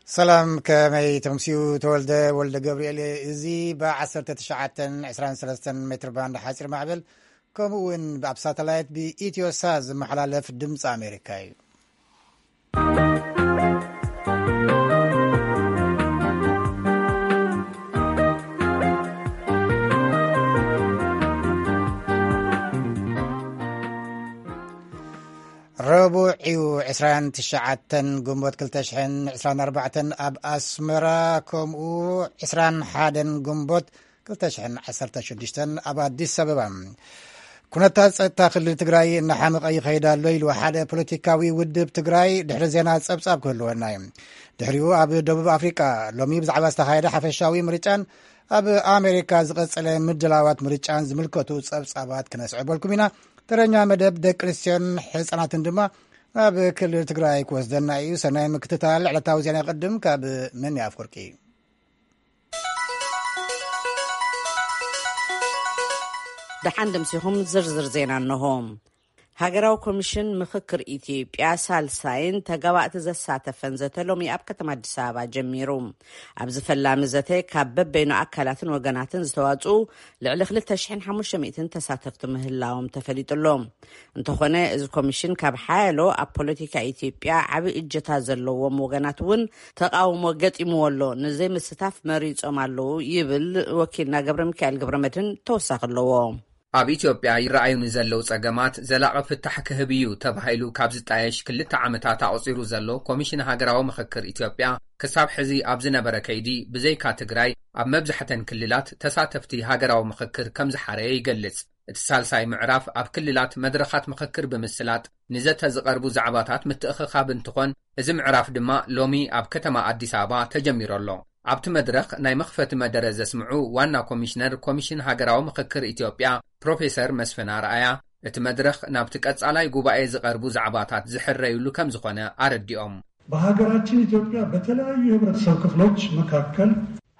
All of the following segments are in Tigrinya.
ሰላም፣ ከመይ ተምስዩ? ተወልደ ወልደ ገብርኤል። እዚ ብ19 23 ሜትር ባንድ ሓፂር ማዕበል፣ ከምኡ እውን ኣብ ሳተላይት ብኢትዮ ሳት ዝመሓላለፍ ድምፂ ኣሜሪካ እዩ። ረቡዕ እዩ፣ ዕስራን ትሽዓተን ግንቦት ክልተ ሽሕን ዕስራን ኣርባዕተን ኣብ ኣስመራ፣ ከምኡ ዕስራን ሓደን ግንቦት ክልተ ሽሕን ዓሰርተ ሽዱሽተን ኣብ ኣዲስ ኣበባ። ኩነታት ጸጥታ ክልል ትግራይ እናሓመቐ ይኸይድ ኣሎ ኢሉ ሓደ ፖለቲካዊ ውድብ ትግራይ። ድሕሪ ዜና ጸብጻብ ክህልወና እዩ። ድሕሪኡ ኣብ ደቡብ ኣፍሪቃ ሎሚ ብዛዕባ ዝተኻየደ ሓፈሻዊ ምርጫን ኣብ ኣሜሪካ ዝቐጸለ ምድላዋት ምርጫን ዝምልከቱ ጸብጻባት ክነስዕበልኩም ኢና። ተረኛ መደብ ደቂ ኣንስትዮን ህጻናትን ድማ ናብ ክልል ትግራይ ክወስደና እዩ። ሰናይ ምክትታል። ዕለታዊ ዜና ይቕድም ካብ መን ኣፍወርቂ። ደሓን ደምሲኹም ዝርዝር ዜና እንሆ። ሃገራዊ ኮሚሽን ምኽክር ኢትዮጵያ ሳልሳይን ተጋባእቲ ዘሳተፈን ዘተ ሎሚ ኣብ ከተማ ኣዲስ ኣበባ ጀሚሩ። ኣብዚ ፈላሚ ዘተ ካብ በበይኑ ኣካላትን ወገናትን ዝተዋፅኡ ልዕሊ ክልተ ሽሕን ሓሙሽተ ሚእትን ተሳተፍቲ ምህላዎም ተፈሊጡ ኣሎ። እንተኾነ እዚ ኮሚሽን ካብ ሓያሎ ኣብ ፖለቲካ ኢትዮጵያ ዓቢ እጀታ ዘለዎም ወገናት እውን ተቃውሞ ገጢምዎ ኣሎ፣ ንዘይምስታፍ መሪጾም ኣለዉ ይብል ወኪልና ገብረ ሚካኤል ገብረ መድህን ተወሳኺ ኣለዎ። ኣብ ኢትዮጵያ ይረኣዩ ንዘለዉ ጸገማት ዘላቒ ፍታሕ ክህብ እዩ ተባሂሉ ካብ ዝጣየሽ ክልተ ዓመታት ኣቑጺሩ ዘሎ ኮሚሽን ሃገራዊ ምኽክር ኢትዮጵያ ክሳብ ሕዚ ኣብ ዝነበረ ከይዲ ብዘይካ ትግራይ ኣብ መብዛሕተን ክልላት ተሳተፍቲ ሃገራዊ ምኽክር ከም ዝሓረየ ይገልጽ። እቲ ሳልሳይ ምዕራፍ ኣብ ክልላት መድረኻት ምኽክር ብምስላጥ ንዘተ ዝቐርቡ ዛዕባታት ምትእኽኻብ እንትኾን፣ እዚ ምዕራፍ ድማ ሎሚ ኣብ ከተማ ኣዲስ ኣበባ ተጀሚሩ ኣሎ። ኣብቲ መድረኽ ናይ መኽፈቲ መደረ ዘስምዑ ዋና ኮሚሽነር ኮሚሽን ሃገራዊ ምኽክር ኢትዮጵያ ፕሮፌሰር መስፍን ኣርኣያ፣ እቲ መድረኽ ናብቲ ቀጻላይ ጉባኤ ዝቐርቡ ዛዕባታት ዝሕረዩሉ ከም ዝኾነ ኣረዲኦም። በሀገራችን ኢትዮጵያ በተለያዩ የህብረተሰብ ክፍሎች መካከል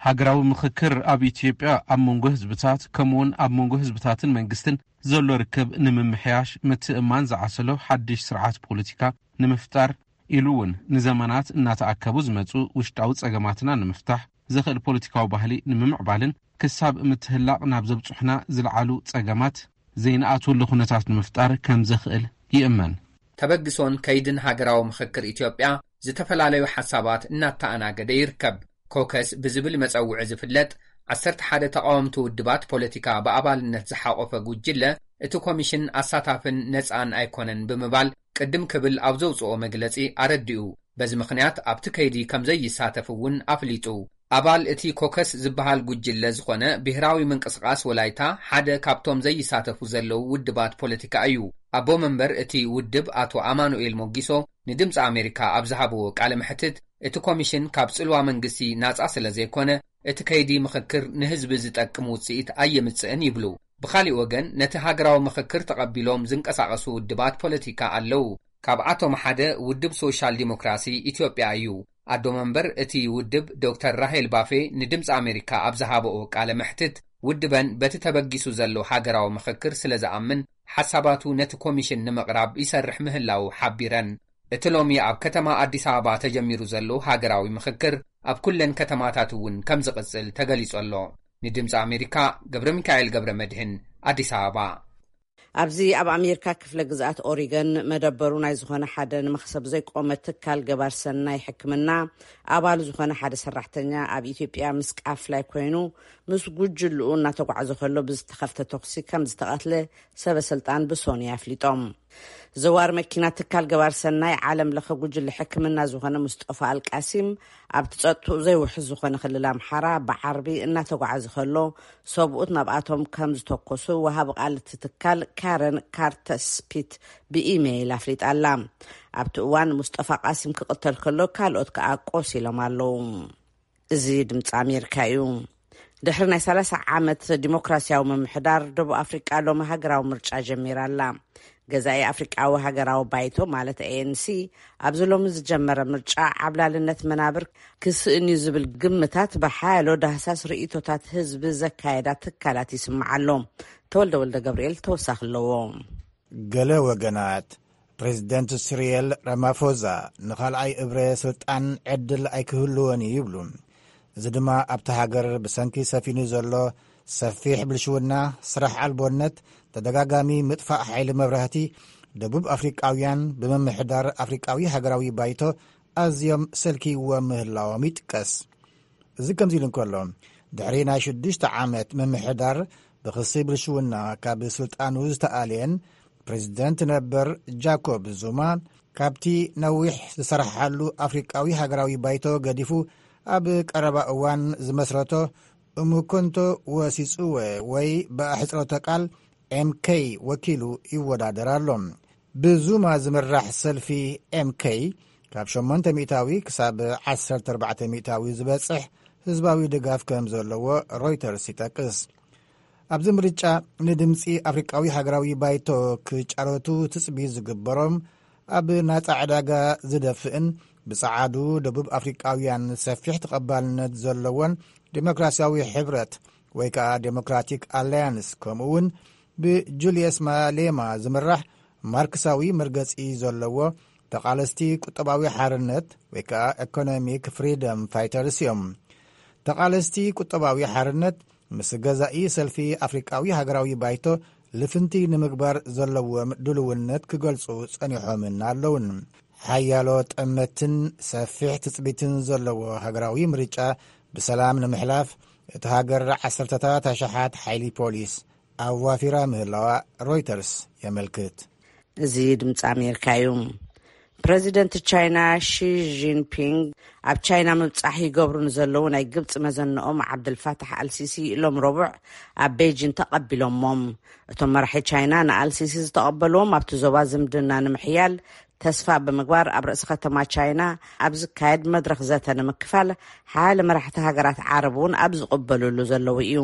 ሃገራዊ ምኽክር ኣብ ኢትዮጵያ ኣብ መንጎ ህዝብታት ከምኡውን ኣብ መንጎ ህዝብታትን መንግስትን ዘሎ ርክብ ንምምሕያሽ፣ ምትእማን ዝዓሰሎ ሓድሽ ስርዓት ፖለቲካ ንምፍጣር፣ ኢሉ እውን ንዘመናት እናተኣከቡ ዝመጹ ውሽጣዊ ጸገማትና ንምፍታሕ ዘኽእል ፖለቲካዊ ባህሊ ንምምዕባልን ክሳብ ምትህላቕ ናብ ዘብጽሑና ዝለዓሉ ጸገማት ዘይንኣትወሉ ኩነታት ንምፍጣር ከም ዘኽእል ይእመን። ተበግሶን ከይድን ሃገራዊ ምኽክር ኢትዮጵያ ዝተፈላለዩ ሓሳባት እናተኣናገደ ይርከብ። ኮከስ ብዝብል መጸውዒ ዝፍለጥ ዓሰርተ ሓደ ተቃወምቲ ውድባት ፖለቲካ ብኣባልነት ዝሓቆፈ ጉጅለ፣ እቲ ኮሚሽን ኣሳታፍን ነጻን ኣይኮነን ብምባል ቅድም ክብል ኣብ ዘውጽኦ መግለጺ ኣረዲኡ። በዚ ምኽንያት ኣብቲ ከይዲ ከም ዘይሳተፍ እውን ኣፍሊጡ። ኣባል እቲ ኮከስ ዝበሃል ጉጅለ ዝኾነ ብሄራዊ ምንቅስቃስ ወላይታ ሓደ ካብቶም ዘይሳተፉ ዘለዉ ውድባት ፖለቲካ እዩ። ኣቦ መንበር እቲ ውድብ ኣቶ ኣማኑኤል ሞጊሶ ንድምፂ ኣሜሪካ ኣብ ዝሃብዎ ቃለ መሕትት፣ እቲ ኮሚሽን ካብ ጽልዋ መንግስቲ ናጻ ስለ ዘይኮነ፣ እቲ ከይዲ ምኽክር ንህዝቢ ዝጠቅም ውጽኢት ኣየምጽእን ይብሉ። ብኻሊእ ወገን፣ ነቲ ሃገራዊ ምኽክር ተቐቢሎም ዝንቀሳቐሱ ውድባት ፖለቲካ ኣለዉ። ካብኣቶም ሓደ ውድብ ሶሻል ዲሞክራሲ ኢትዮጵያ እዩ። ኣዶ መንበር እቲ ውድብ ዶክተር ራሄል ባፌ ንድምፂ ኣሜሪካ ኣብ ዝሃበኦ ቃለ መሕትት፣ ውድበን በቲ ተበጊሱ ዘሎ ሃገራዊ ምኽክር ስለ ዝኣምን፣ ሓሳባቱ ነቲ ኮሚሽን ንምቕራብ ይሰርሕ ምህላዉ ሓቢረን። እቲ ሎሚ ኣብ ከተማ ኣዲስ ኣበባ ተጀሚሩ ዘሎ ሃገራዊ ምኽክር፣ ኣብ ኩለን ከተማታት እውን ከም ዝቕጽል ተገሊጹ ኣሎ። ንድምፂ ኣሜሪካ፣ ገብረ ሚካኤል ገብረ መድህን፣ ኣዲስ ኣበባ። ኣብዚ ኣብ ኣሜሪካ ክፍለ ግዝኣት ኦሪገን መደበሩ ናይ ዝኾነ ሓደ ንመኽሰብ ዘይቆመ ትካል ገባር ሰናይ ሕክምና ኣባሉ ዝኾነ ሓደ ሰራሕተኛ ኣብ ኢትዮጵያ ምስ ቃፍላይ ኮይኑ ምስ ጉጅልኡ እናተጓዕዘ ከሎ ብዝተኸፍተ ተኹሲ ከም ዝተቐትለ ሰበ ስልጣን ብሶኒ ኣፍሊጦም። ዘዋሪ መኪና ትካል ገባር ሰናይ ዓለም ለኸ ጉጅለ ሕክምና ዝኾነ ሙስጠፋ ኣልቃሲም ኣብቲ ጸጥትኡ ዘይውሕስ ዝኾነ ክልል ኣምሓራ ብዓርቢ እናተጓዓዘ ከሎ ሰብኡት ናብኣቶም ከም ዝተኮሱ ወሃቢ ቃል እቲ ትካል ካረን ካርተስፒት ብኢሜይል ኣፍሊጣ ኣላ። ኣብቲ እዋን ሙስጠፋ ቃሲም ክቕተል ከሎ ካልኦት ከኣ ቆሲሎም ኣለዉ። እዚ ድምፂ ኣሜሪካ እዩ። ድሕሪ ናይ ሰላሳ ዓመት ዲሞክራሲያዊ ምምሕዳር ደቡብ ኣፍሪቃ ሎሚ ሃገራዊ ምርጫ ጀሚራ ኣላ። ገዛኢ ኣፍሪቃዊ ሃገራዊ ባይቶ ማለት ኤ ኤን ሲ ኣብዚ ሎሚ ዝጀመረ ምርጫ ዓብላልነት መናብር ክስእን እዩ ዝብል ግምታት ብሓያሎ ዳህሳስ ርእይቶታት ህዝቢ ዘካየዳ ትካላት ይስማዕ ኣሎ። ተወልደ ወልደ ገብርኤል ተወሳኺ ኣለዎ። ገለ ወገናት ፕሬዚደንት ሲሪል ራማፎዛ ንኻልኣይ እብረ ስልጣን ዕድል ኣይክህልዎን እዩ ይብሉ። እዚ ድማ ኣብቲ ሃገር ብሰንኪ ሰፊኑ ዘሎ ሰፊሕ ብልሽውና፣ ስራሕ ኣልቦነት፣ ተደጋጋሚ ምጥፋእ ሓይሊ መብራህቲ፣ ደቡብ ኣፍሪቃውያን ብምምሕዳር ኣፍሪቃዊ ሃገራዊ ባይቶ ኣዝዮም ሰልኪዎም ምህላዎም ይጥቀስ። እዚ ከምዚ ኢሉ እንከሎ፣ ድሕሪ ናይ ሽዱሽተ ዓመት ምምሕዳር ብኽሲ ብልሽውና ካብ ስልጣኑ ዝተኣልየን ፕሬዚደንት ነበር ጃኮብ ዙማ፣ ካብቲ ነዊሕ ዝሰራሓሉ ኣፍሪቃዊ ሃገራዊ ባይቶ ገዲፉ፣ ኣብ ቀረባ እዋን ዝመስረቶ እምኮንቶ ወሲጽወ ወይ ብኣሕጽሮተ ቃል ኤምኬይ ወኪሉ ይወዳደር ኣሎ። ብዙማ ዝምራሕ ሰልፊ ኤምኬይ ካብ ሸሞንተ ሚእታዊ ክሳብ ዓሰርተ ኣርባዕተ ሚእታዊ ዝበጽሕ ህዝባዊ ድጋፍ ከም ዘለዎ ሮይተርስ ይጠቅስ። ኣብዚ ምርጫ ንድምጺ ኣፍሪቃዊ ሃገራዊ ባይቶ ክጫረቱ ትጽቢት ዝግበሮም፣ ኣብ ናጻ ዕዳጋ ዝደፍእን ብጸዓዱ ደቡብ ኣፍሪቃውያን ሰፊሕ ተቐባልነት ዘለዎን ዴሞክራሲያዊ ሕብረት ወይ ከኣ ዴሞክራቲክ ኣላያንስ፣ ከምኡ እውን ብጁልየስ ማሌማ ዝምራሕ ማርክሳዊ መርገጺ ዘለዎ ተቓለስቲ ቁጠባዊ ሓርነት ወይ ከኣ ኢኮኖሚክ ፍሪደም ፋይተርስ እዮም። ተቓለስቲ ቁጠባዊ ሓርነት ምስ ገዛኢ ሰልፊ ኣፍሪቃዊ ሃገራዊ ባይቶ ልፍንቲ ንምግባር ዘለዎም ድልውነት ክገልጹ ጸኒሖምን ኣለውን። ሓያሎ ጠመትን ሰፊሕ ትጽቢትን ዘለዎ ሃገራዊ ምርጫ ብሰላም ንምሕላፍ እቲ ሃገር ዓሰርተታት ኣሽሓት ሓይሊ ፖሊስ ኣዋፊራ ምህላዋ ሮይተርስ የመልክት። እዚ ድምፂ ኣሜሪካ እዩ። ፕረዚደንት ቻይና ሺ ጂንፒንግ ኣብ ቻይና ምብፃሕ ይገብሩ ንዘለዉ ናይ ግብፂ መዘንኦም ዓብደልፋታሕ ኣልሲሲ ሎም ረቡዕ ኣብ ቤጂን ተቐቢሎሞም። እቶም መራሒ ቻይና ንኣልሲሲ ዝተቐበልዎም ኣብቲ ዞባ ዝምድና ንምሕያል ተስፋ ብምግባር ኣብ ርእሲ ከተማ ቻይና ኣብ ዝካየድ መድረኽ ዘተ ንምክፋል ሓያለ መራሕቲ ሃገራት ዓረብ እውን ኣብ ዝቕበሉሉ ዘለዉ እዩ።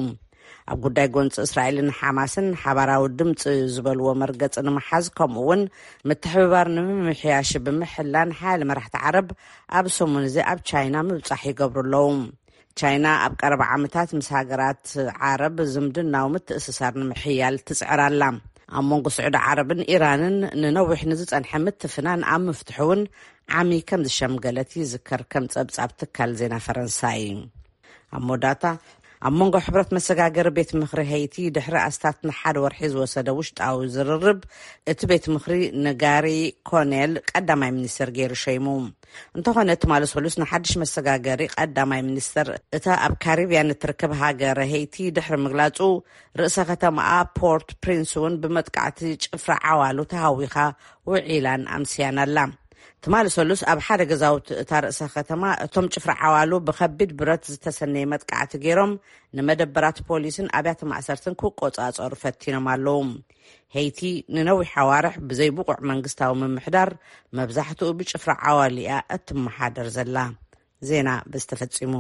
ኣብ ጉዳይ ጎንፂ እስራኤልን ሓማስን ሓባራዊ ድምፂ ዝበልዎ መርገፂ ንምሓዝ ከምኡ እውን ምትሕብባር ንምምሕያሽ ብምሕላን ሓያለ መራሕቲ ዓረብ ኣብ ሰሙን እዚ ኣብ ቻይና ምብፃሕ ይገብሩ ኣለዉ። ቻይና ኣብ ቀረባ ዓመታት ምስ ሃገራት ዓረብ ዝምድናዊ ምትእስሳር ንምሕያል ትፅዕር ኣላ። ኣብ መንጎ ስዑዲ ዓረብን ኢራንን ንነዊሕ ንዝጸንሐ ምትፍናን ኣብ ምፍትሑ እውን ዓሚ ከም ዝሸምገለት ይዝከር፣ ከም ጸብጻብ ትካል ዜና ፈረንሳይ። ኣብ መወዳእታ፣ ኣብ መንጎ ሕብረት መሰጋገሪ ቤት ምኽሪ ሄይቲ ድሕሪ ኣስታት ንሓደ ወርሒ ዝወሰደ ውሽጣዊ ዝርርብ፣ እቲ ቤት ምኽሪ ንጋሪ ኮኔል ቀዳማይ ሚኒስትር ገይሩ ሸይሙ። እንተኾነ፣ ትማሊ ሰሉስ ንሓድሽ መሰጋገሪ ቀዳማይ ሚኒስተር እታ ኣብ ካሪብያን እትርከብ ሃገር ሄይቲ ድሕሪ ምግላጹ፣ ርእሰ ከተማኣ ፖርት ፕሪንስ እውን ብመጥቃዕቲ ጭፍራ ዓዋሉ ተሃዊኻ ውዒላን ኣምስያን ኣላ። ትማሊ ሰሉስ ኣብ ሓደ ገዛውቲ እታ ርእሰ ከተማ እቶም ጭፍራ ዓዋሉ ብኸቢድ ብረት ዝተሰነየ መጥቃዕቲ ገይሮም ንመደበራት ፖሊስን ኣብያተ ማእሰርትን ክቆጻጸሩ ፈቲኖም ኣለዉ። ሄይቲ ንነዊሕ ኣዋርሕ ብዘይ ብቑዕ መንግስታዊ ምምሕዳር፣ መብዛሕትኡ ብጭፍራ ዓዋሉ እያ እትመሓደር ዘላ። ዜና በዚ ተፈጺሙ።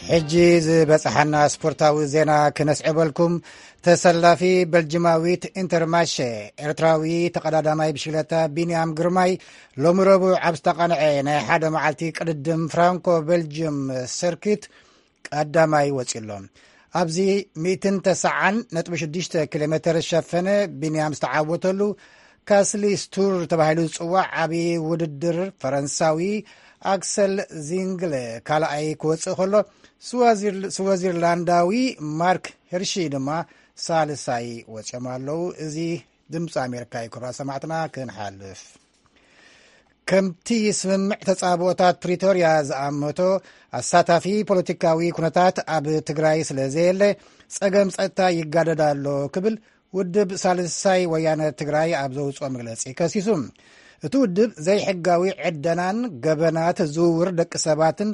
ሕጂ ዝበጽሓና ስፖርታዊ ዜና ክነስዕበልኩም። ተሰላፊ በልጅማዊት ኢንተርማሸ፣ ኤርትራዊ ተቐዳዳማይ ብሽክለታ ቢንያም ግርማይ፣ ሎሚ ረቡዕ ኣብ ዝተቓንዐ ናይ ሓደ መዓልቲ ቅድድም ፍራንኮ ቤልጅየም ሰርኪት ቀዳማይ ወጺኡ ኣሎ። ኣብዚ ሚእትን ተስዓን ነጥቢ ሽዱሽተ ኪሎ ሜተር ዝሸፈነ ቢንያም ዝተዓወተሉ ካስሊ ስቱር ተባሂሉ ዝጽዋዕ ዓቢ ውድድር፣ ፈረንሳዊ ኣክሰል ዚንግለ ካልኣይ ክወጽእ ከሎ፣ ስዋዚር-፣ ስዊዘርላንዳዊ ማርክ ሄርሺ ድማ ሳልሳይ ወጺኦም ኣለዉ። እዚ ድምፂ ኣሜሪካ እዩ። ክቡራት ሰማዕትና፣ ክንሓልፍ። ከምቲ ስምምዕ ተጻብኦታት ፕሪቶርያ ዝኣመቶ፣ ኣሳታፊ ፖለቲካዊ ኩነታት ኣብ ትግራይ ስለ ዘየለ፣ ጸገም ጸጥታ ይጋደድ ኣሎ ክብል ውድብ ሳልሳይ ወያነ ትግራይ ኣብ ዘውፅኦ መግለፂ ከሲሱ። እቲ ውድብ ዘይሕጋዊ ዕደናን ገበናት ዝውውር ደቂ ሰባትን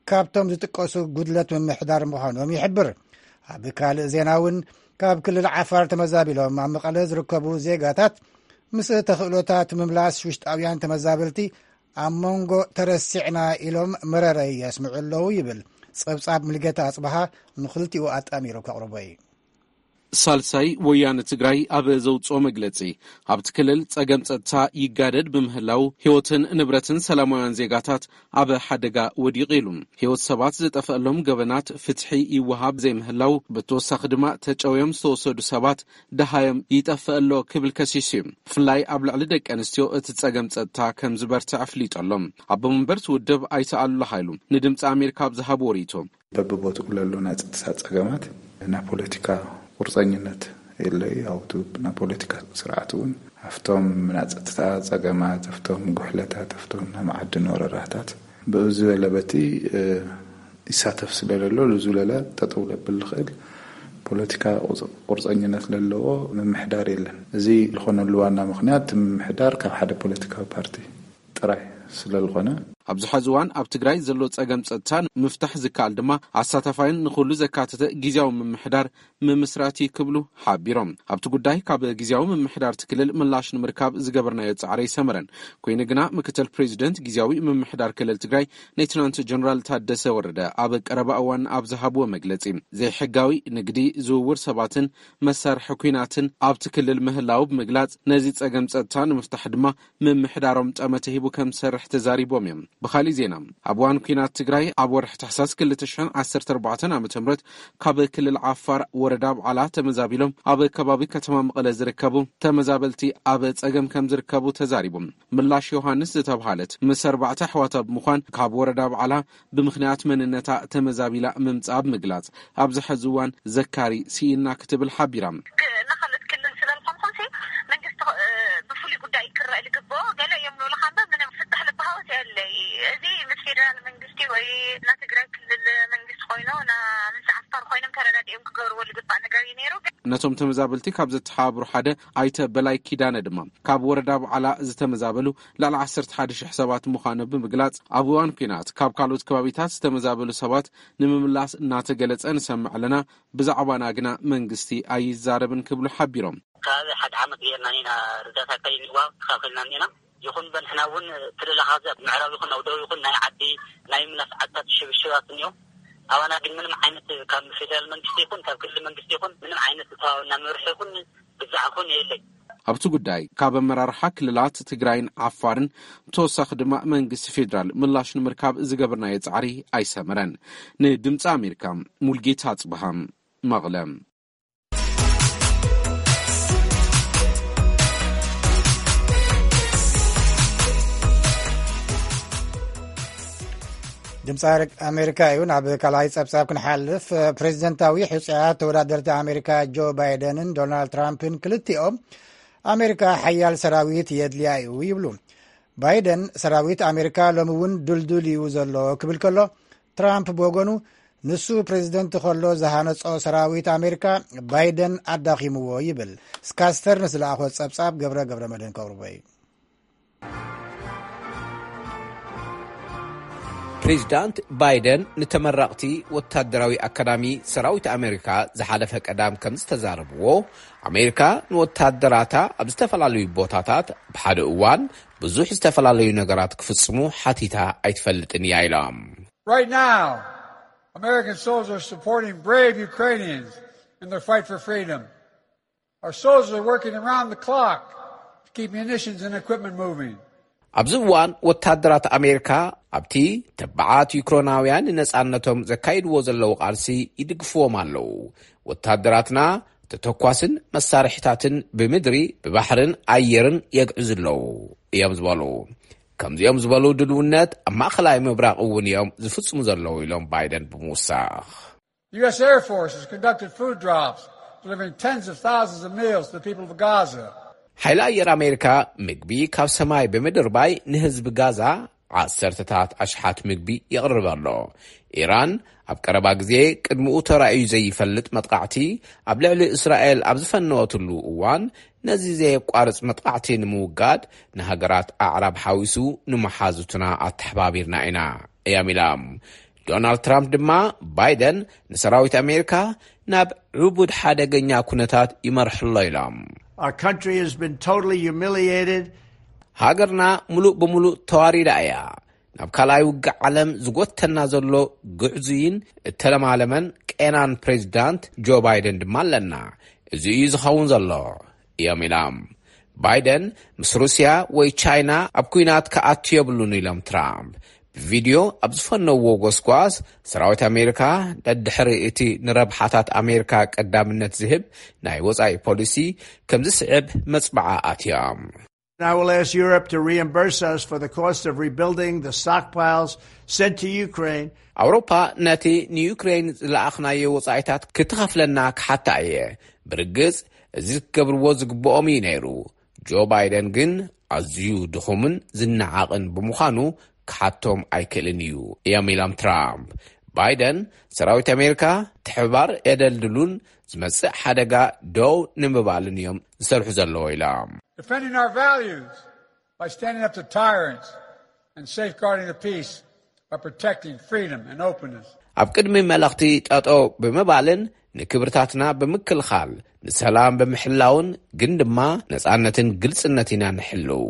ካብቶም ዝጥቀሱ ጉድለት ምምሕዳር ምዃኖም ይሕብር። ኣብ ካልእ ዜና እውን፣ ካብ ክልል ዓፋር ተመዛቢሎም ኣብ መቐለ ዝርከቡ ዜጋታት፣ ምስ ተኽእሎታት ምምላስ ውሽጣውያን ተመዛበልቲ ኣብ መንጎ ተረሲዕና ኢሎም መረረይ የስምዑ ኣለዉ ይብል። ጸብጻብ ሙሉጌታ ኣጽብሃ ንኽልቲኡ ኣጣሚሩ ከቕርቦ እዩ። ሳልሳይ ወያነ ትግራይ ኣብ ዘውፅኦ መግለፂ፣ ኣብቲ ክልል ፀገም ፀጥታ ይጋደድ ብምህላው ህይወትን ንብረትን ሰላማውያን ዜጋታት ኣብ ሓደጋ ወዲቑ ኢሉ። ህይወት ሰባት ዝጠፈአሎም ገበናት ፍትሒ ይወሃብ ዘይምህላው፣ ብተወሳኺ ድማ ተጨውዮም ዝተወሰዱ ሰባት ደሃዮም ይጠፍእ ኣሎ ክብል ከሲሱ እዩ። ብፍላይ ኣብ ልዕሊ ደቂ ኣንስትዮ እቲ ጸገም ጸጥታ ከም ዝበርትዕ ኣፍሊጡ ኣሎ። ኣቦ መንበር እቲ ውድብ ኣይተ ኣሉላ ሃይሉ ንድምፂ ኣሜሪካ ኣብ ዝሃብዎ ርእይቶ፣ በብቦትኡ ለሎ ናይ ጸጥታ ጸገማት ናይ ፖለቲካ ቁርጸኝነት የለይ። ኣብቱ ናይ ፖለቲካ ስርዓት እውን ኣብቶም ናይ ጸጥታ ጸገማት፣ ኣብቶም ጉሕለታት፣ ኣብቶም ናይ መዓድን ወረራታት ብኡ ዝበለ በቲ ይሳተፍ ስለለሎ፣ ልዙለለ ጠጠው ለብል ልኽእል ፖለቲካ ቁርፀኝነት ለለዎ ምምሕዳር የለን። እዚ ዝኾነሉ ዋና ምኽንያት፣ ምምሕዳር ካብ ሓደ ፖለቲካዊ ፓርቲ ጥራይ ስለልኾነ። ኣብዚ ሐዚ እዋን ኣብ ትግራይ ዘሎ ጸገም ጸጥታ ምፍታሕ ዝከኣል ድማ ኣሳታፋይን ንኹሉ ዘካተተ ግዜያዊ ምምሕዳር ምምስራት እዩ ክብሉ ሓቢሮም። ኣብቲ ጉዳይ ካብ ግዜያዊ ምምሕዳር እቲ ክልል ምላሽ ንምርካብ ዝገበርናዮ ጻዕሪ ኣይሰመረን። ኮይኑ ግና ምክትል ፕሬዚደንት ግዜያዊ ምምሕዳር ክልል ትግራይ ሌትናንት ጀነራል ታደሰ ወረደ ኣብ ቀረባ እዋን ኣብ ዝሃብዎ መግለጺ፣ ዘይሕጋዊ ንግዲ፣ ዝውውር ሰባትን መሳርሒ ኲናትን ኣብቲ ክልል ምህላው ብምግላጽ፣ ነዚ ጸገም ጸጥታ ንምፍታሕ ድማ ምምሕዳሮም ጠመተ ሂቡ ከም ዝሰርሕ ተዛሪቦም እዮም። ብኻሊእ ዜና፣ ኣብ እዋን ኲናት ትግራይ ኣብ ወርሒ ታሕሳስ ክልተ ሽሕን ዓሰርተ ኣርባዕተን ዓመተ ምህረት ካብ ክልል ዓፋር ወረዳ ብዓላ ተመዛቢሎም ኣብ ከባቢ ከተማ መቐለ ዝርከቡ ተመዛበልቲ ኣብ ጸገም ከም ዝርከቡ ተዛሪቦም። ምላሽ ዮሃንስ ዝተብሃለት ምስ ኣርባዕተ ኣሕዋታ ብምዃን ካብ ወረዳ ብዓላ ብምኽንያት መንነታ ተመዛቢላ ምምጻኣ ብምግላጽ፣ ኣብዚ ሐዚ እዋን ዘካሪ ስኢና ክትብል ሓቢራ። ክ-፣ ንኻልኦት ክልል ስለ ዝኾንኩም ሲ መንግስቲ፣ እ፣ ብፍሉይ ጉዳይ ክረአ ዝግብኦ ገለ እዮም ንብሉኻ እምበር ምንም ፍታሕ ልበሃወስ የለይ። እዚ ምስ ፌደራል መንግስቲ ወይ ና ትግራይ ክልል መንግስቲ ኮይኑ ና ምስ ዓፋር ኮይኖም ተረዳዲኦም ክገብርዎ ዝግባእ ነገር እዩ ነይሩ። ግን ነቶም ተመዛበልቲ ካብ ዘተሓባብሩ ሓደ ኣይተ በላይ ኪዳነ ድማ ካብ ወረዳ ብዓላ ዝተመዛበሉ ልዕሊ ዓሰርተ ሓደ ሽሕ ሰባት ምዃኖም ብምግላጽ፣ ኣብ እዋን ኲናት ካብ ካልኦት ከባቢታት ዝተመዛበሉ ሰባት ንምምላስ እናተገለጸ ንሰምዕ ኣለና፣ ብዛዕባና ግና መንግስቲ ኣይዛረብን ክብሉ ሓቢሮም። ከባቢ ሓደ ዓመት ጌርና ኢና ርዳታ ከይንዋ ተኻኺልና እኒና። ይኹን በንሕና እውን ትልላኻ ኣብ ምዕራብ ይኹን ኣብ ደቡብ ይኹን ናይ ዓዲ ናይ ምላስ ዓድታት ሽብሽባት እኒኦ። ኣባና ግን ምንም ዓይነት ካብ ፌደራል መንግስቲ ይኹን ካብ ክልል መንግስቲ ይኹን ምንም ዓይነት እተዋብና መርሒ ይኹን ብዛዕ ይኹን የለይ። ኣብቲ ጉዳይ ካብ ኣመራርሓ ክልላት ትግራይን ዓፋርን ብተወሳኺ ድማ መንግስቲ ፌደራል ምላሽ ንምርካብ ዝገበርናዮ ጻዕሪ ኣይሰመረን። ንድምፂ ኣሜሪካ፣ ሙልጌታ ኣጽብሃ፣ መቐለ። ድምፂ ኣሜሪካ እዩ። ናብ ካልኣይ ጸብጻብ ክንሓልፍ፣ ፕሬዚደንታዊ ሕጹያት ተወዳደርቲ ኣሜሪካ ጆ ባይደንን ዶናልድ ትራምፕን ክልቲኦም ኣሜሪካ ሓያል ሰራዊት የድልያ እዩ ይብሉ። ባይደን ሰራዊት ኣሜሪካ ሎሚ እውን ድልዱል እዩ ዘሎ ክብል ከሎ፣ ትራምፕ ብወገኑ ንሱ ፕሬዚደንት ከሎ ዝሃነጾ ሰራዊት ኣሜሪካ ባይደን ኣዳኺምዎ ይብል። ስካስተር ንዝለኣኾ ጸብጻብ ገብረ ገብረ መድህን ከቕርቦ እዩ። ፕሬዚዳንት ባይደን ንተመረቕቲ ወታደራዊ ኣካዳሚ ሰራዊት ኣሜሪካ ዝሓለፈ ቀዳም ከም ዝተዛረብዎ፣ ኣሜሪካ ንወታደራታ ኣብ ዝተፈላለዩ ቦታታት ብሓደ እዋን ብዙሕ ዝተፈላለዩ ነገራት ክፍጽሙ ሓቲታ ኣይትፈልጥን እያ ኢሎም። Right now, American soldiers are supporting brave Ukrainians in their fight for freedom. Our soldiers are working around the clock to keep munitions and equipment moving. ኣብዚ እዋን ወታደራት ኣሜሪካ ኣብቲ ተባዓት ዩክሬናውያን ንነጻነቶም ዘካይድዎ ዘለዉ ቃልሲ ይድግፍዎም ኣለዉ። ወታደራትና ተተኳስን መሳርሒታትን ብምድሪ፣ ብባሕርን ኣየርን የግዕዙ ኣለዉ እዮም ዝበሉ። ከምዚኦም ዝበሉ ድልውነት ኣብ ማእኸላይ ምብራቕ እውን እዮም ዝፍጽሙ ዘለዉ ኢሎም ባይደን ብምውሳኽ። U S Air Force has conducted food drops, delivering tens of thousands of meals to the people of Gaza. ሓይሊ ኣየር ኣሜሪካ ምግቢ ካብ ሰማይ ብምድርባይ ንህዝቢ ጋዛ ዓሰርተታት ኣሽሓት ምግቢ የቕርብ ኣሎ። ኢራን ኣብ ቀረባ ግዜ ቅድሚኡ ተራእዩ ዘይፈልጥ መጥቃዕቲ ኣብ ልዕሊ እስራኤል ኣብ ዝፈነወትሉ እዋን፣ ነዚ ዘየቋርጽ መጥቃዕቲ ንምውጋድ ንሃገራት ኣዕራብ ሓዊሱ ንመሓዙትና ኣተሓባቢርና ኢና እዮም ኢሎም። ዶናልድ ትራምፕ ድማ ባይደን ንሰራዊት ኣሜሪካ ናብ ዕቡድ ሓደገኛ ኩነታት ይመርሕሎ ኢሎም። Our country has been totally humiliated. ሃገርና ምሉእ ብምሉእ ተዋሪዳ እያ። ናብ ካልኣይ ውግእ ዓለም ዝጎተና ዘሎ ግዕዙይን እተለማለመን ቄናን ፕሬዚዳንት ጆ ባይደን ድማ ኣለና። እዚ እዩ ዝኸውን ዘሎ እዮም ኢሎም። ባይደን ምስ ሩስያ ወይ ቻይና ኣብ ኲናት ክኣቱ የብሉን ኢሎም ትራምፕ። ብቪድዮ ኣብ ዝፈነውዎ ጎስጓስ፣ ሰራዊት ኣሜሪካ ደድሕሪ እቲ ንረብሓታት ኣሜሪካ ቀዳምነት ዝህብ ናይ ወጻኢ ፖሊሲ ከም ዝስዕብ መጽብዓ ኣትዮም። I will ask Europe to reimburse us for the cost of rebuilding the stockpiles sent to Ukraine. ኣውሮፓ ነቲ ንዩክሬን ዝለኣኽናዮ ወጻኢታት ክትኸፍለና ክሓታ እየ። ብርግጽ፣ እዚ ክገብርዎ ዝግብኦም እዩ ነይሩ። ጆ ባይደን ግን ኣዝዩ ድኹምን ዝነዓቕን ብምዃኑ ክሓቶም ኣይክእልን እዩ እዮም ኢሎም ትራምፕ። ባይደን ሰራዊት ኣሜሪካ ትሕባር የደልድሉን ዝመጽእ ሓደጋ ደው ንምባልን እዮም ዝሰርሑ ዘለዎ ኢሎም። Defending our values by standing up to tyrants and safeguarding the peace by protecting freedom and openness. ኣብ ቅድሚ መለኽቲ ጠጠው ብምባልን ንክብርታትና ብምክልኻል ንሰላም ብምሕላውን ግን ድማ ነጻነትን ግልጽነት ኢና ንሕልው።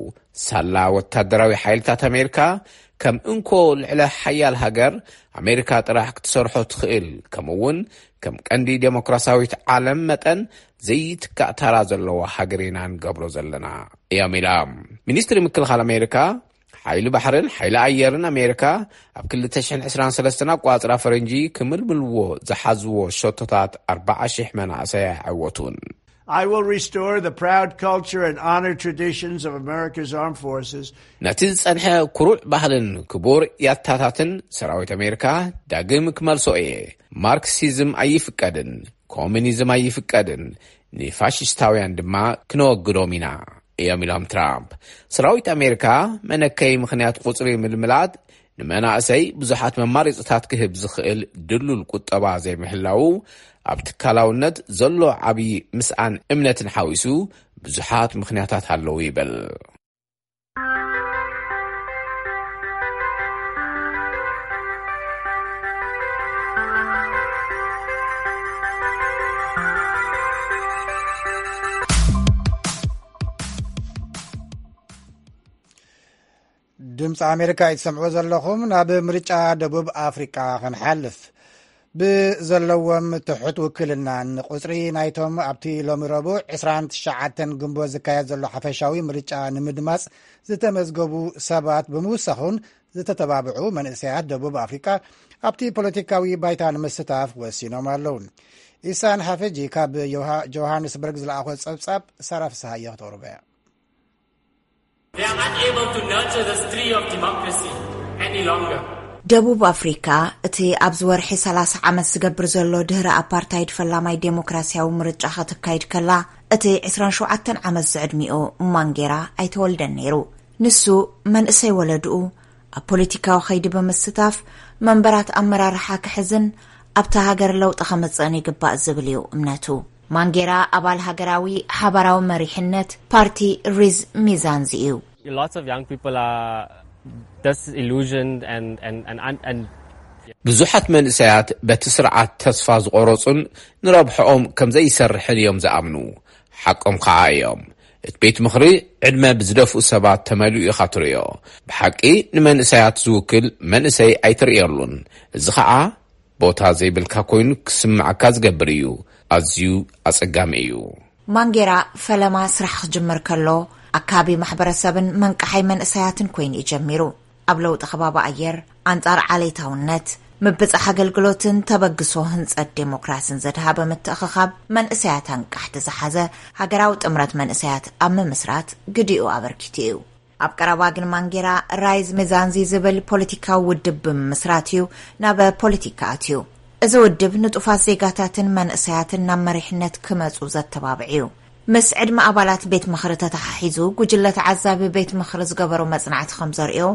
ሳላ ወታደራዊ ሓይልታት ኣሜሪካ ከም እንኮ ልዕለ ሓያል ሃገር ኣሜሪካ ጥራሕ ክትሰርሖ ትኽእል፣ ከምኡ እውን ከም ቀንዲ ዴሞክራሲያዊት ዓለም መጠን ዘይትካእ ታራ ዘለዎ ሃገር ኢና ንገብሮ ዘለና እዮም ኢሎም። ሚኒስትሪ ምክልኻል ኣሜሪካ ሓይሊ ባሕርን ሓይሊ ኣየርን ኣሜሪካ ኣብ ክልተ ሽሕን ዕስራን ሰለስተን ኣቋጽራ ፈረንጂ ክምልምልዎ ዝሓዝዎ ሸቶታት ኣርባዓ ሽሕ መናእሰይ ኣይዓወቱን። I will restore the proud culture and honor traditions of America's armed forces. ነቲ ዝጸንሐ ኩሩዕ ባህልን ክቡር ያታታትን ሰራዊት ኣሜሪካ ዳግም ክመልሶ እየ። ማርክሲዝም ኣይፍቀድን፣ ኮሚኒዝም ኣይፍቀድን፣ ንፋሽስታውያን ድማ ክነወግዶም ኢና እዮም ኢሎም ትራምፕ። ሰራዊት ኣሜሪካ መነከይ ምኽንያት ቁጽሪ ምልምላት ንመናእሰይ ብዙሓት መማሪፅታት ክህብ ዝኽእል ድሉል ቁጠባ ዘይምህላዉ ኣብ ትካላውነት ዘሎ ዓብዪ ምስኣን እምነትን ሓዊሱ ብዙሓት ምኽንያታት ኣለዉ ይብል። ድምፂ ኣሜሪካ እዩ ትሰምዕዎ ዘለኹም። ናብ ምርጫ ደቡብ ኣፍሪቃ ክንሓልፍ። ብዘለዎም ትሑት ውክልና ንቁፅሪ ናይቶም ኣብቲ ሎሚ ረቡዕ ዕስራን ትሽዓተን ግንቦት ዝካየድ ዘሎ ሓፈሻዊ ምርጫ ንምድማፅ ዝተመዝገቡ ሰባት ብምውሳኹን ዝተተባብዑ መንእሰያት ደቡብ ኣፍሪቃ ኣብቲ ፖለቲካዊ ባይታ ንምስታፍ ወሲኖም ኣለዉ። ኢሳን ሓፈጂ ካብ ዮሃ- ጆሃንስበርግ ዝለኣኾ ፀብፃብ ሳራ ፍስሃየ ክተቕርቦ እያ። They are not able to nurture this tree of democracy any longer. ደቡብ ኣፍሪካ እቲ ኣብዚ ወርሒ ሰላሳ ዓመት ዝገብር ዘሎ ድህረ ኣፓርታይድ ፈላማይ ዴሞክራሲያዊ ምርጫ ከተካይድ ከላ፣ እቲ ዕስራን ሸውዓተን ዓመት ዝዕድሚኡ ማንጌራ ኣይተወልደን ነይሩ። ንሱ መንእሰይ ወለድኡ ኣብ ፖለቲካዊ ኸይዲ ብምስታፍ መንበራት ኣመራርሓ ክሕዝን ኣብታ ሃገር ለውጢ ከምጽእን ይግባእ ዝብል እዩ እምነቱ። ማንጌራ ኣባል ሃገራዊ ሓባራዊ መሪሕነት ፓርቲ ሪዝ ሚዛንዚ እዩ። Lots of young people are disillusioned and and and and, and ብዙሓት መንእሰያት በቲ ስርዓት ተስፋ ዝቆረጹን ንረብሕኦም ከም ዘይሰርሕን እዮም ዝኣምኑ። ሓቆም ከዓ እዮም። እቲ ቤት ምኽሪ ዕድመ ብዝደፍኡ ሰባት ተመሊኡ ኢኻ ትርእዮ። ብሓቂ ንመንእሰያት ዝውክል መንእሰይ ኣይትርእየሉን። እዚ ከዓ ቦታ ዘይብልካ ኮይኑ ክስምዓካ ዝገብር እዩ። ኣዝዩ ኣጸጋሚ እዩ። ማንጌራ ፈለማ ስራሕ ክጅምር ከሎ ኣካቢ ማሕበረሰብን መንቃሓይ መንእሰያትን ኮይኑ እዩ ጀሚሩ። ኣብ ለውጢ ከባቢ ኣየር፣ ኣንጻር ዓሌታውነት፣ ምብጻሕ ኣገልግሎትን ተበግሶ ህንጸት ዴሞክራሲን ዘድሃበ ምትእኽኻብ መንእሰያት ኣንቃሕቲ ዝሓዘ ሃገራዊ ጥምረት መንእሰያት ኣብ ምምስራት ግዲኡ ኣበርኪቱ እዩ። ኣብ ቀረባ ግን ማንጌራ ራይዝ ሚዛንዚ ዝብል ፖለቲካዊ ውድብ ብምምስራት እዩ ናብ ፖለቲካ ኣትዩ። እዚ ውድብ ንጡፋት ዜጋታትን መንእሰያትን ናብ መሪሕነት ክመጹ ዘተባብዕ እዩ። ምስ ዕድመ ኣባላት ቤት ምኽሪ ተተሓሒዙ ጉጅለ ተዓዛቢ ቤት ምኽሪ ዝገበሮ መጽናዕቲ ከም ዘርእዮ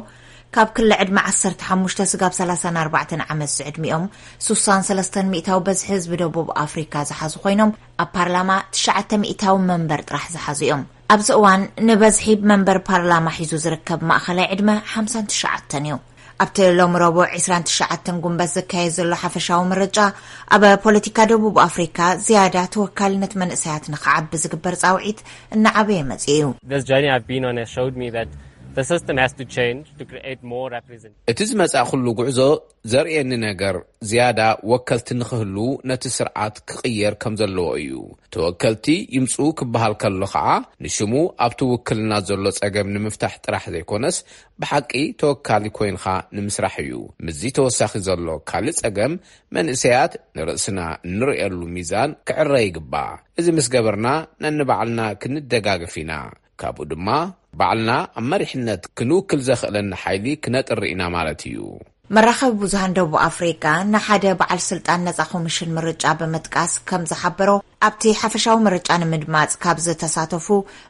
ካብ ክሊ ዕድመ ዓሰርተ ሓሙሽተ ስጋብ ሰላሳን ኣርባዕተን ዓመት ዝዕድሚኦም ሱሳን ሰለስተን ሚእታዊ በዝሒ ህዝቢ ደቡብ ኣፍሪካ ዝሓዙ ኮይኖም ኣብ ፓርላማ ትሽዓተ ሚእታዊ መንበር ጥራሕ ዝሓዙ እዮም። ኣብዚ እዋን ንበዝሒ መንበር ፓርላማ ሒዙ ዝርከብ ማእኸላይ ዕድመ ሓምሳን ትሽዓተን እዩ። ኣብቲ ሎሚ ረቡዕ ዕስራን ትሽዓተን ጉንበት ዝካየድ ዘሎ ሓፈሻዊ ምርጫ ኣብ ፖለቲካ ደቡብ ኣፍሪካ ዝያዳ ተወካልነት መንእሰያት ንክዓቢ ዝግበር ፃውዒት እናዓበየ መፂኡ እዩ። This journey I've been on has showed me that The system has to change to create more representation. እቲ ዝመጻእኩሉ ጉዕዞ ዘርእየኒ ነገር፣ ዝያዳ ወከልቲ ንኽህሉ ነቲ ስርዓት ክቕየር ከም ዘለዎ እዩ። ተወከልቲ ይምጽኡ ክበሃል ከሎ ኸዓ፣ ንሽሙ ኣብቲ ውክልና ዘሎ ጸገም ንምፍታሕ ጥራሕ ዘይኮነስ፣ ብሓቂ ተወካሊ ኮይንኻ ንምስራሕ እዩ። ምስዚ ተወሳኺ ዘሎ ካልእ ጸገም፣ መንእሰያት ንርእስና እንርእየሉ ሚዛን ክዕረ ይግባእ። እዚ ምስ ገበርና፣ ነንባዕልና ክንደጋግፍ ኢና። ካብኡ ድማ፣ ባዕልና ኣብ መሪሕነት ክንውክል ዘኽእለና ሓይሊ ክነጥሪ ኢና ማለት እዩ። መራኸቢ ብዙሃን ደቡብ ኣፍሪቃ ንሓደ በዓል ስልጣን ነጻ ኮሚሽን ምርጫ ብምጥቃስ ከም ዝሓበሮ፣ ኣብቲ ሓፈሻዊ ምርጫ ንምድማጽ ካብ ዝተሳተፉ፣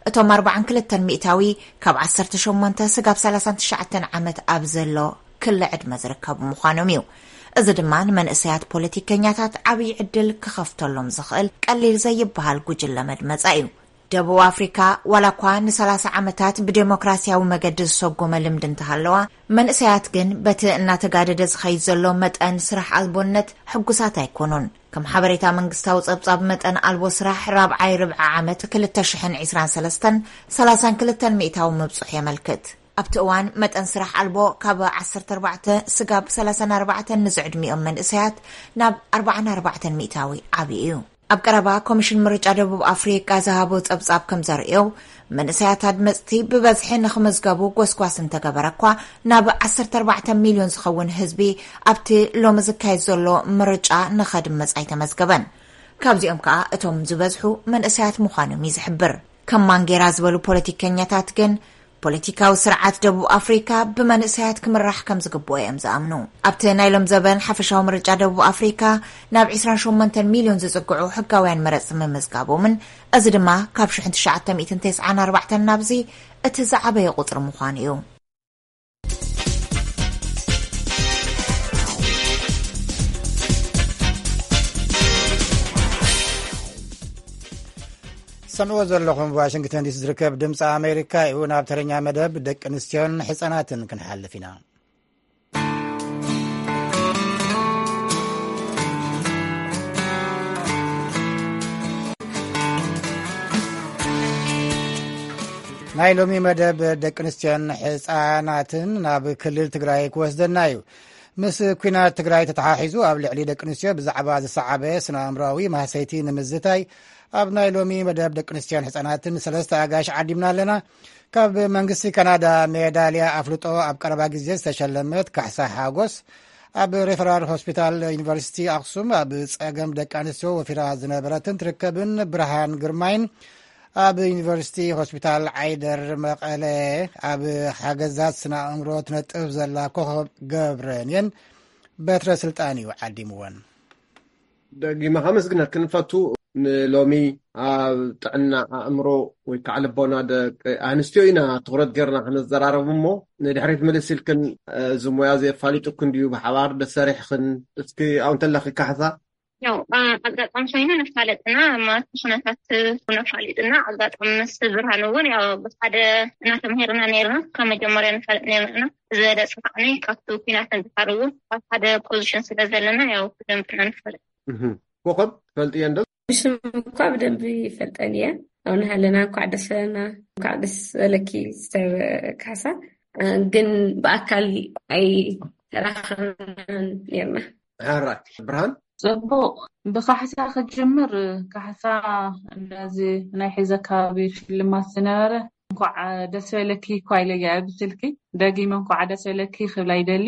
እቶም ኣርባዓን ክልተን ሚእታዊ ካብ ዓሰርተ ሸሞንተ ስጋብ ሰላሳን ትሽዓተን ዓመት ኣብ ዘሎ ክሊ ዕድመ ዝርከቡ ምዃኖም እዩ። እዚ ድማ ንመንእሰያት ፖለቲከኛታት ዓብዪ ዕድል ክኸፍተሎም ዝኽእል ቀሊል ዘይበሃል ጉጅለ መድመጻ እዩ። ደቡብ ኣፍሪካ ዋላ እኳ ንሰላሳ ዓመታት ብዴሞክራሲያዊ መገዲ ዝሰጎመ ልምዲ እንተሃለዋ፣ መንእሰያት ግን በቲ እናተጋደደ ዝኸይድ ዘሎ መጠን ስራሕ ኣልቦነት ሕጉሳት ኣይኮኑን። ከም ሓበሬታ መንግስታዊ ጸብጻብ፣ መጠን ኣልቦ ስራሕ ራብዓይ ርብዒ ዓመት ክልተ ሽሕን ዕስራን ሰለስተን፣ ሰላሳን ክልተን ሚእታዊ ምብጽሑ የመልክት። ኣብቲ እዋን መጠን ስራሕ ኣልቦ ካብ ዓሰርተ ኣርባዕተ ስጋብ ሰላሳን ኣርባዕተን ንዝዕድሚኦም መንእሰያት ናብ ኣርባዓን ኣርባዕተን ሚእታዊ ዓብዩ እዩ። ኣብ ቀረባ ኮሚሽን ምርጫ ደቡብ ኣፍሪቃ ዝሃቦ ጸብጻብ ከም ዘርእዮ፣ መንእሰያት ኣድመጽቲ ብበዝሒ ንኽምዝገቡ ጎስጓስ እንተገበረ እኳ፣ ናብ ዓሰርተ ኣርባዕተ ሚልዮን ዝኸውን ህዝቢ ኣብቲ ሎሚ ዝካየድ ዘሎ ምርጫ ንኸድምጽ ኣይተመዝገበን። ካብዚኦም ከኣ እቶም ዝበዝሑ መንእሰያት ምዃኖም እዩ ዝሕብር። ከም ማንጌራ ዝበሉ ፖለቲከኛታት ግን፣ ፖለቲካዊ ስርዓት ደቡብ ኣፍሪካ ብመንእሰያት ክምራሕ ከም ዝግብኦ እዮም ዝኣምኑ። ኣብቲ ናይ ሎም ዘበን ሓፈሻዊ ምርጫ ደቡብ ኣፍሪካ፣ ናብ ዕስራን ሸሞንተን ሚልዮን ዝጽግዑ ሕጋውያን መረጽቲ ምምዝጋቦምን፣ እዚ ድማ ካብ ሽሕን ትሽዓተ ሚእትን ተስዓን ኣርባዕተን ናብዚ እቲ ዝዓበየ ቁጽሪ ምዃኑ እዩ። ሰምዕዎ ዘለኹም ዋሽንግተን ዲሲ ዝርከብ ድምፂ ኣሜሪካ እዩ። ናብ ተረኛ መደብ ደቂ ኣንስትዮን ሕፃናትን ክንሓልፍ ኢና። ናይ ሎሚ መደብ ደቂ ኣንስትዮን ሕፃናትን ናብ ክልል ትግራይ ክወስደና እዩ። ምስ ኲናት ትግራይ ተተሓሒዙ ኣብ ልዕሊ ደቂ ኣንስትዮ ብዛዕባ ዝሰዓበ ስነ ኣእምሮኣዊ ማህሰይቲ ንምዝታይ ኣብ ናይ ሎሚ መደብ ደቂ ኣንስትዮን ሕፃናትን ሰለስተ ኣጋይሽ ዓዲምና ኣለና። ካብ መንግስቲ ካናዳ ሜዳልያ ኣፍልጦ ኣብ ቀረባ ግዜ ዝተሸለመት ካሕሳ ሓጎስ፣ ኣብ ሬፈራል ሆስፒታል ዩኒቨርሲቲ ኣክሱም ኣብ ጸገም ደቂ ኣንስትዮ ወፊራ ዝነበረትን ትርከብን ብርሃን ግርማይን፣ ኣብ ዩኒቨርሲቲ ሆስፒታል ዓይደር መቐለ ኣብ ሓገዛት ስነ ኣእምሮ ትነጥፍ ዘላ ኮኸብ ገብረንየን በትረ ስልጣን እዩ ዓዲምወን። ደጊመ ከመስግነክን ፈቱ። ንሎሚ ኣብ ጥዕና ኣእምሮ ወይ ከዓ ልቦና ደቂ ኣንስትዮ ኢና ትኹረት ጌርና ክንዘራረብ እሞ፣ ንድሕሪት ምልስ ኢልክን፣ እዚ ሞያ እዚ ኣፋሊጡክን ድዩ፣ ብሓባር ደሰሪሕኽን? እስኪ ኣብኡ እንተለኺ ካሕሳ። ያው፣ ኣ-፣ ኣጋጣሚ ኮይኑ ነፋለጥና፣ ማለት ኩነታት እውን ኣፋሊጥና፣ ኣጋጣሚ ምስ ብርሃን እውን ያው ብሓደ እናተምሄርና ነይርና፣ ካብ መጀመርያ ንፋለጥ ነይርና። ዝበለጸ ከዓኒ ካብቲ ኩናት ንድሓር እውን ኣብ ሓደ ፖዚሽን ስለ ዘለና፣ ያው ብደንብ ኢና ንፋለጥ። እህ። ኮኸብ ትፈልጥዮ እንዶ? ብሽም እኳ ብደንብ ይፈልጠን እየ። ኣብ ናሃለና እንኳዕ ደስ በለና፣ እንኳዕ ደስ በለኪ ሲስተር ካሳ። እ፣ ግን ብኣካል ኣይተራኸብናን ነርና። ሕራይ ብርሃን? ጽቡቕ። ብካሕሳ ክጅምር፣ ካሕሳ ነዚ ናይ ሕዚ ኣከባቢ ሽልማት ዝነበረ፣ እንኳዕ ደስ በለኪ እኳ ኢለያ ብስልኪ። ደጊመ እንኳዕ ደስ በለኪ ክብላ ይደሊ።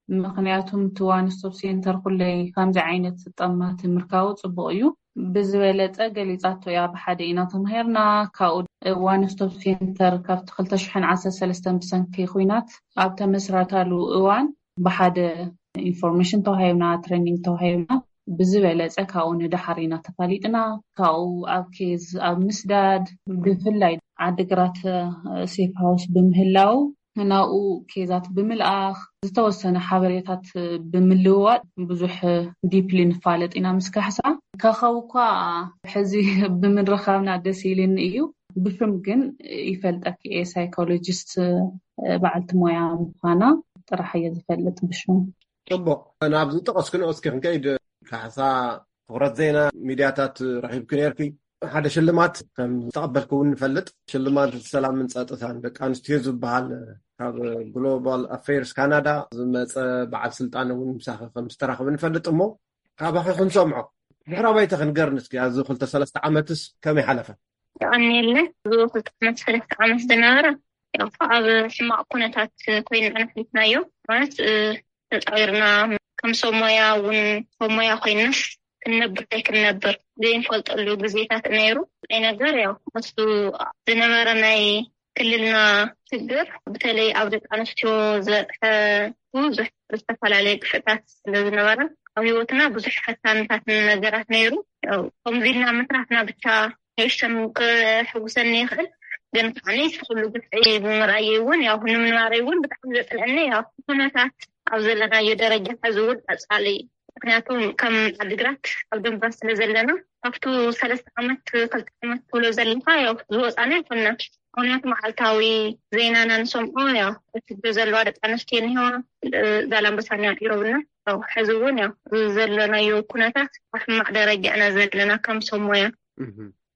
ምኽንያቱም እቲ ዋን ስቶፕ ሴንተር ኩለይ ከምዚ ዓይነት ጠማቲ ምርካቡ ጽቡቕ እዩ። ብዝበለጸ ገሊጻቶ እያ፣ ብሓደ ኢና ተማሂርና። ካብኡ ዋን ስቶፕ ሴንተር ካብቲ ክልተ ሽሕን ዓሰርተ ሰለስተን ብሰንኪ ኲናት ኣብ ተመስረታሉ እዋን ብሓደ ኢንፎርሜሽን ተዋሂብና፣ ትሬኒንግ ተዋሂብና። ብዝበለጸ ካብኡ ንደሓር ኢና ተፋሊጥና። ካብኡ ኣብ ኬዝ፣ ኣብ ምስዳድ፣ ብፍላይ ዓዲግራት ሴፍ ሃውስ ብምህላው ናብኡ ኬዛት ብምልኣኽ፣ ዝተወሰነ ሓበሬታት ብምልውዋጥ ብዙሕ ዲፕሊ ንፋለጥ ኢና ምስ ካሕሳ። ካኻው እኳ ሕዚ ብምርኻብና ደስ ኢልኒ እዩ። ብሽም ግን ይፈልጠኪ እየ፣ ሳይኮሎጂስት በዓልቲ ሞያ ምዃና ጥራሕ እየ ዝፈልጥ ብሽም። ጽቡቕ። ናብ ዝጠቐስክንኦ እስኪ ክንከይድ። ካሕሳ፣ ትኹረት ዜና ሚድያታት ረኺብኪ ነርኪ። ሓደ ሽልማት ከም ዝተቐበልክ እውን ንፈልጥ። ሽልማት ሰላምን ጸጥታን ደቂ ኣንስትዮ ዝበሃል ካብ ግሎባል ኣፌርስ ካናዳ ዝመጸ በዓል ስልጣን እውን ምሳኺ ከም ዝተራኸበ ንፈልጥ። እሞ ካባኺ ክንሰምዖ፣ ድሕረ ባይታ ክንገርኒ እስኪ። ኣብዚ ክልተ ሰለስተ ዓመትስ ከመይ ሓለፈ? የቐንየለ። እዚ ክልተ ዓመት ሰለስተ ዓመት ዝነበረ ያው ኣብ ሕማቕ ኩነታት ኮይና ኣሕሊፍናዮ። ማለት ተፃዊርና ከም ሰብ ሞያ እውን ሰብ ሞያ ኮይናስ ክንነብር ዘይክንነብር ዘይንፈልጠሉ ግዜታት ነይሩ። ናይ ነገር ያው እሱ ዝነበረ ናይ ክልልና ችግር በተለይ ኣብ ደቂ ኣንስትዮ ዘብፀሐ ብዙሕ ዝተፈላለየ ግፍዕታት ስለዝነበረ ኣብ ህይወትና ብዙሕ ፈታንታት ነገራት ነይሩ። ከምዚ ኢልና ምትራፍና ብቻ ንእሽተን ክሕጉሰኒ ይኽእል፣ ግን ከዓኒ እቲ ኩሉ ግፍዒ ብምርኣየይ እውን ያው ንምንባረይ እውን ብጣዕሚ ዘፅልአኒ ያው ኩነታት ኣብ ዘለናዮ ደረጃ ሕዚ እውን ቀፃሊ። ምክንያቱ ከም ዓዲግራት ኣብ ደንበር ስለ ዘለና ካብቱ ሰለስተ ዓመት ክልተ ዓመት ትብሎ ዘለካ ያው ዝወፃና ኣይኮንና። ምክንያቱ መዓልታዊ ዜናና ንሰምዖ ያው እቲ ዘለዋ ደቂ ኣንስትዮ እኒሆ ዛላምበሳና ኢሮብና ያው ሕዚ እውን ያው ዘለናዮ ኩነታት ኣብ ሕማቕ ደረጃ ኢና ዘለና ከም ሰብ ሞያ።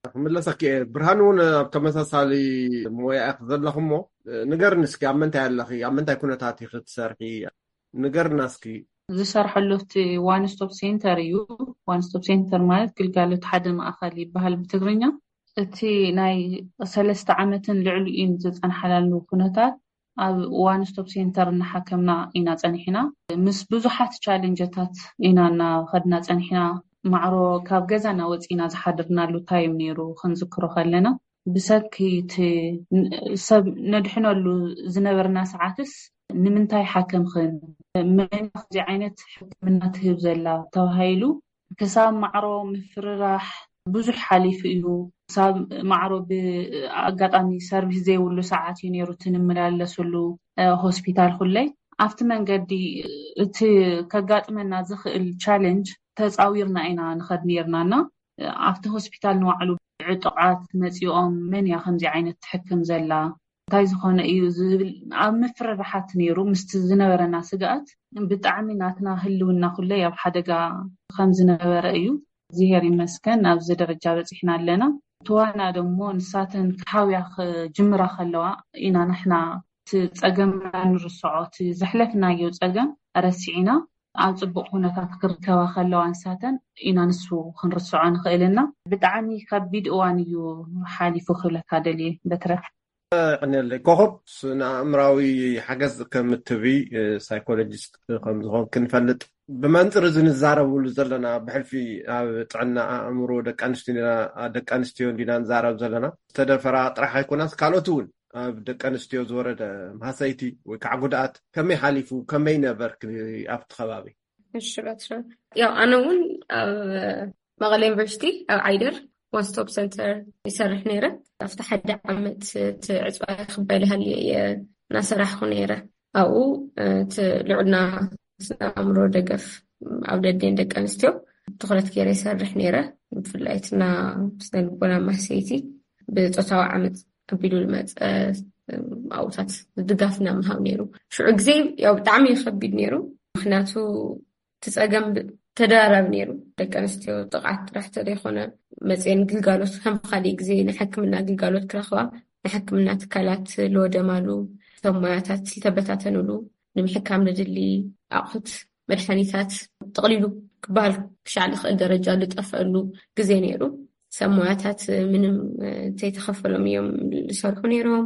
ክምለሰኪ እየ። ብርሃን እውን ኣብ ተመሳሳሊ ሞያ ኢኺ ዘለኹ እሞ ንገርኒ እስኪ ኣብ ምንታይ ኣለኺ? ኣብ ምንታይ ኩነታት ኢኺ ትሰርሒ? ንገርና እስኪ። ዝሰርሐሉ እቲ ዋን ስቶፕ ሴንተር እዩ። ዋን ስቶፕ ሴንተር ማለት ግልጋሎት ሓደ ማእኸል ይበሃል ብትግርኛ። እቲ ናይ ሰለስተ ዓመትን ልዕሊኡን ዝፀንሓላሉ ኩነታት ኣብ ዋን ስቶፕ ሴንተር እናሓከምና ኢና ፀኒሕና። ምስ ብዙሓት ቻሌንጀታት ኢና እናኸድና ፀኒሕና። ማዕሮ ካብ ገዛና ወፂና ዝሓደርናሉ ታይም ነይሩ ክንዝክሮ ከለና ብሰኪ እቲ ሰብ ነድሕነሉ ዝነበርና ሰዓትስ ንምንታይ ሓከምኽን መን ከምዚ ዓይነት ሕክምና ትህብ ዘላ ተባሂሉ ክሳብ ማዕሮ ምፍርራሕ ብዙሕ ሓሊፉ እዩ። ክሳብ ማዕሮ ብኣጋጣሚ ሰርቪስ ዘይብሉ ሰዓት እዩ ነይሩ እቲ ንመላለሰሉ ሆስፒታል ኩለይ ኣብቲ መንገዲ እቲ ከጋጥመና ዝኽእል ቻለንጅ ተፃዊርና ኢና ንኸድ ነርና እና ኣብቲ ሆስፒታል ንባዕሉ ዕጡቓት መፂኦም መን እያ ከምዚ ዓይነት ትሕክም ዘላ እንታይ ዝኾነ እዩ ዝብል ኣብ ምፍርራሓት ነይሩ። ምስቲ ዝነበረና ስግኣት ብጣዕሚ ናትና ህልውና ኩለይ ኣብ ሓደጋ ከም ዝነበረ እዩ። እግዚኣብሔር ይመስገን ኣብዚ ደረጃ በፂሕና ኣለና። ትዋና ደሞ ንሳተን ክሓውያ ክጅምራ ከለዋ ኢና ንሕና እቲ ፀገምና ንርስዖ፣ እቲ ዘሕለፍናዮ ፀገም ረሲዕና ኣብ ፅቡቕ ኩነታት ክርከባ ከለዋ ንሳተን ኢና ንሱ ክንርስዖ ንኽእል እና ብጣዕሚ ከቢድ እዋን እዩ ሓሊፉ ክብለካ ደልየ በትረ። ቀኒለይ ኮኸብ ስነ ኣእምራዊ ሓገዝ ከም እትህቢ ሳይኮሎጂስት ከም ዝኾን ክንፈልጥ ብመንፅር እዚ ንዛረብሉ ዘለና ብሕልፊ ኣብ ጥዕና ኣእምሮ ደቂ ኣንስትዮ ደቂ ኣንስትዮ እንዲና ንዛረብ ዘለና ዝተደፈራ ጥራሕ ኣይኮናስ ካልኦት እውን ኣብ ደቂ ኣንስትዮ ዝወረደ ማህሰይቲ ወይ ከዓ ጉድኣት ከመይ ሓሊፉ ከመይ ነበርክ ኣብቲ ከባቢ? እሺ በትረ ያው ኣነ እውን ኣብ መቐለ ዩኒቨርሲቲ ኣብ ዓይደር ዋን ስቶፕ ሰንተር ይሰርሕ ነይረ። ኣብቲ ሓደ ዓመት እቲ ዕፅዋ ክበል ሃልየ እየ እናሰራሕኩ ነይረ። ኣብኡ እቲ ልዑልና ስነ ኣእምሮ ደገፍ ኣብ ደዴን ደቂ ኣንስትዮ ትኩረት ገይረ ይሰርሕ ነይረ። ብፍላይ እቲ ና ስነ ልቦና ማህሰይቲ ብፆታዊ ዓመፅ ኣቢሉ ዝመፀ ኣብኡታት ድጋፍ ኢና ምሃብ ነይሩ። ሽዑ ግዜ ያው ብጣዕሚ እዩ ከቢድ ነይሩ። ምክንያቱ እቲ ፀገም ተደራራቢ ነይሩ። ደቂ ኣንስትዮ ጥቕዓት ጥራሕ ተዘይኮነ መፅየን ግልጋሎት ከም ካሊእ ግዜ ናይ ሕክምና ግልጋሎት ክረኽባ ናይ ሕክምና ትካላት ለወደማሉ ሰብ ሞያታት ዝተበታተንሉ ንምሕካም ንድሊ ኣቑሑት መድሓኒታት ጠቕሊሉ ክበሃል ክሻዕ ዝኽእል ደረጃ ዝጠፍአሉ ግዜ ነይሩ። ሰብ ሞያታት ምንም እንተይተኸፈሎም እዮም ዝሰርሑ ነይሮም።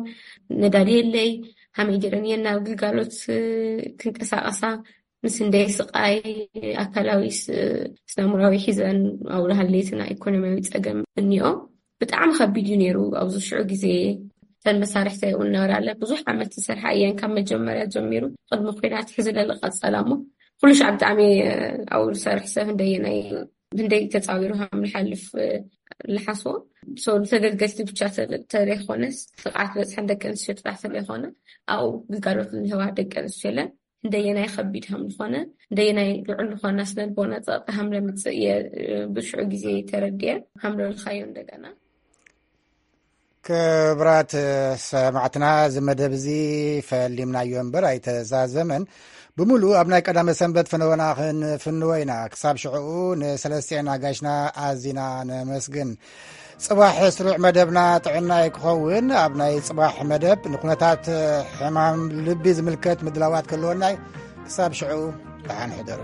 ነዳዲ የለይ፣ ሃመይ ጀረን እየን ናብ ግልጋሎት ክንቀሳቐሳ ምስ እንደይ ስቓይ ኣካላዊ ስነምራዊ ሒዘን ኣብኡ ሃለይትና ኢኮኖሚያዊ ፀገም እኒኦ። ብጣዕሚ ከቢድ እዩ ነይሩ ኣብዚ ሽዑ ግዜ። እተን መሳርሕቲ እውን ነበራለ ብዙሕ ዓመት ዝሰርሓ እየን ካብ መጀመርያ ጀሚሩ ቅድሚ ኩናት ሕዚ ለለቐፀላ እሞ ኩሉ ሻዕ ብጣዕሚ ኣብኡ ዝሰርሕ ሰብ እንደየናይ ክንደይ ተፃዊሩ ከም ንሓልፍ ንሓስቦ ሰው ተገልገልቲ ብቻ ተለይኮነስ ጥቕዓት በፅሐን ደቂ ኣንስትዮ ጥራሕ ተለይኮነ ኣብኡ ግልጋሎት ንህባ ደቂ ኣንስትዮ የለን እንደየናይ ከቢድ ከም ዝኾነ እንደየናይ ልዑል ዝኾነ ስነልቦና ፀቕጢ ከም ለምፅእ እየ ብሽዑ ግዜ ተረድየ ከም ለልካዮ እንደገና ክብራት ሰማዕትና እዚ መደብ እዚ ፈሊምናዮ እምበር ኣይተዛዘመን ብምሉእ ኣብ ናይ ቀዳመ ሰንበት ፍነወና ክንፍንወ ኢና ክሳብ ሽዕኡ ንሰለስቲኤን ኣጋሽና ኣዚና ነመስግን ጽባሕ ስሩዕ መደብና ጥዕናይ ክኸውን፣ ኣብ ናይ ጽባሕ መደብ ንኩነታት ሕማም ልቢ ዝምልከት ምድላዋት ክህልወናይ። ክሳብ ሽዑ ደሓን ሕደሩ።